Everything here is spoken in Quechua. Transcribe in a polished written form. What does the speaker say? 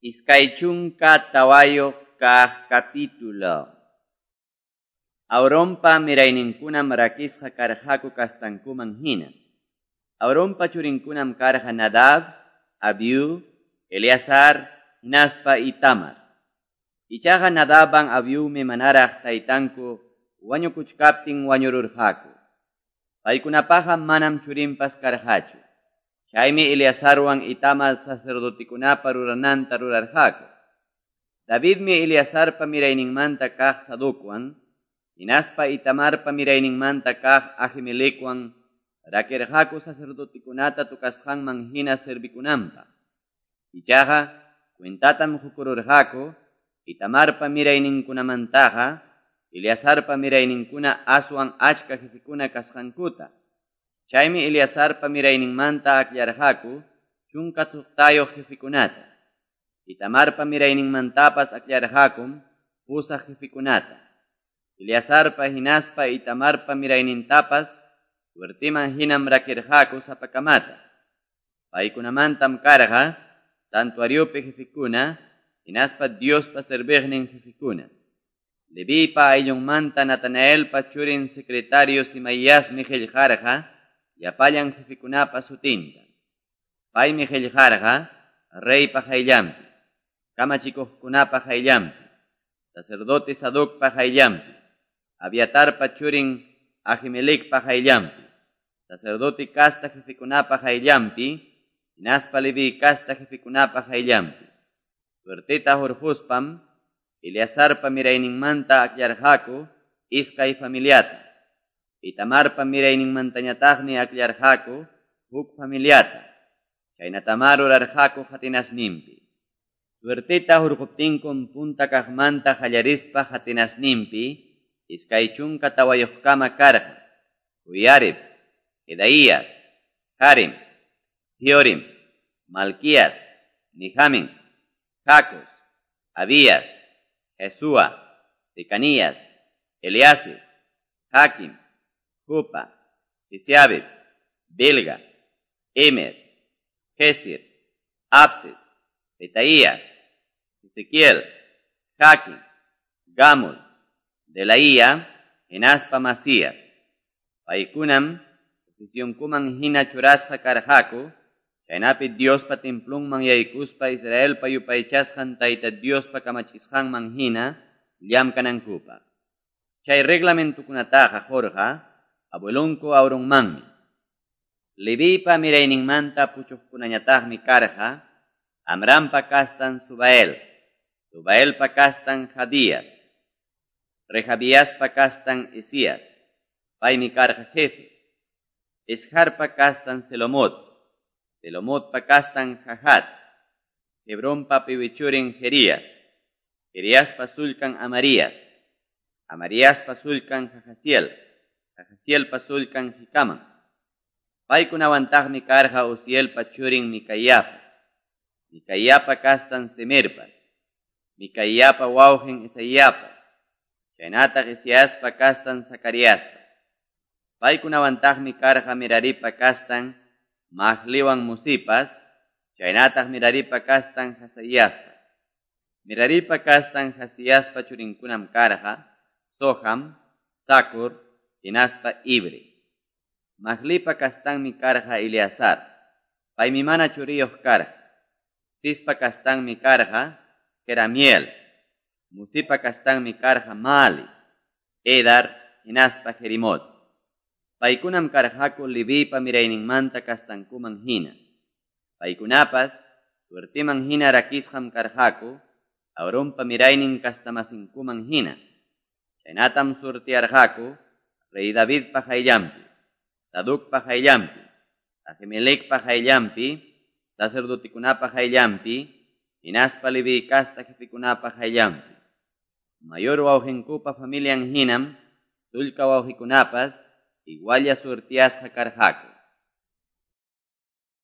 24 kaq capítulo. Aaronpa mirayninkunam rakisqa karqaku kastankuman hina. Aaronpa churinkunam karqa Nadab, Abiú, Eleazar, hinaspa Itamar. Ichaqa Nadabwan Abiumi manaraq taytanku wañukuchkaptin wañururqaku. Paykunapaqa manam churinpas karqachu. Chaymi Eleazarwan Itamar sacerdotekunapa rurananta rurarqaku. Davidmi Eleazarpa mirayninmanta kaq Sadocwan, hinaspa Itamarpa mirayninmanta kaq Ahimelecwan rakirqaku sacerdotekunata tukasqanman hina servikunanpaq. Ichaqa cuentatam qukururqaku Itamarpa mirayninkunamantaqa Eleazarpa mirayninkuna aswan achka jefekuna kasqankuta. Chaymi Eleazarpa mirayninmanta akllarqaku 16 jefekunata. Itamarpa mirayninmantapas akllarqakum 8 jefekunata. Eleazarpa hinaspa Itamarpa miraynintapas suertiman hinam rakirqaku sapakamata. Paykunamantam karqa santuariopi jefekuna hinaspa Diospa serviqnin jefekuna. Levipa ayllunmanta Natanaelpa churin secretario Simaiasmi qillqarqa llapallan jefekunapa sutinta. Paymi qillqarqa reypa qayllanpi, kamachikuqkunapa qayllanpi, sacerdote Sadocpa qayllanpi, Abiatarpa churin Ahimelecpa qayllanpi, sacerdote casta jefekunapa qayllanpi, hinaspa Leví casta jefekunapa qayllanpi. Suerteta hurquspam Eleazarpa mirayninmanta akllarqaku iskay familiata. Itamarpa mirayninmantañataqmi akllarqaku huk familiata. Chaynatamá rurarqaku qatinasninpi. Suerteta hurquptinkum punta kaqmanta qallarispa qatinasninpi 24kama karqa. Joiarib, Jedaías, Harim, Siorim, Malquías, Nijamin, Jacos, Abías, Jesúa, Secanías, Eliasib, Jaquim, Jupa, Jesiabet, Belga, Emer, Gesir, Abses, Petaías, Ezequiel, Jaquim, Gamul, Delaía, hinaspa Masías. Paykunam, oficionkuman hina churasqa karqaku, chaynapi Diospa templonman yaykuspa Israelpa yupaychasqan Tayta Diospa kamachisqanman hina llamkanankupaq. Chay reglamentukunataqa qurqa abuelonku Aaronmanmi. Levipa mirayninmanta puchuqkunañataqmi karqa Amrampa kastan Subael, Subaelpa kastan Jadías, Rejabiaspa kastan Isías, paymi karqa jefe, Isharpa kastan Selomot, Selomotpa kastan Jahat, Hebronpa piwichurin Jerías, Jeriaspa sullkan Amarías, Amariaspa sullkan Jahaziel, Jahazielpa sullkan Jikaman. Paykunawantaqmi karqa Uzielpa churin Micaíapa, Micaíapa kastan Semerpas, Micaíapa wawqin Isaiapas, chaynataq Isiaspa kastan Zacariaspas. Paykunawantaqmi karqa Meraripa kastan Mahliwan Musipas, chaynataq Meraripa kastan Jasaiaspas. Meraripa kastan Jasiaspa churinkunam karqa Soham, Sakur, hinaspa Ibre. Mahlipa kastanmi karqa Eleazar, paymi mana churiyuq karqa. Sispa kastanmi karqa Jeramiel, Musipa kastanmi karqa Mali, Edar, hinaspa Jerimot. Paykunam karqaku Levipa mirayninmanta kastankuman hina. Paykunapas suertiman hina rakisqam karqaku Aaronpa miraynin kastamasinkuman hina. Chaynatam surtiarqaku rey Davidpa qayllanpi, Sadocpa qayllanpi, Ahimelecpa qayllanpi, sacerdotekunapa qayllanpi, hinaspa Leví casta jefekunapa qayllanpi. Mayor wawqinkupa familian hinam, sullka wawqikunapas igualla surtiasqa karqaku.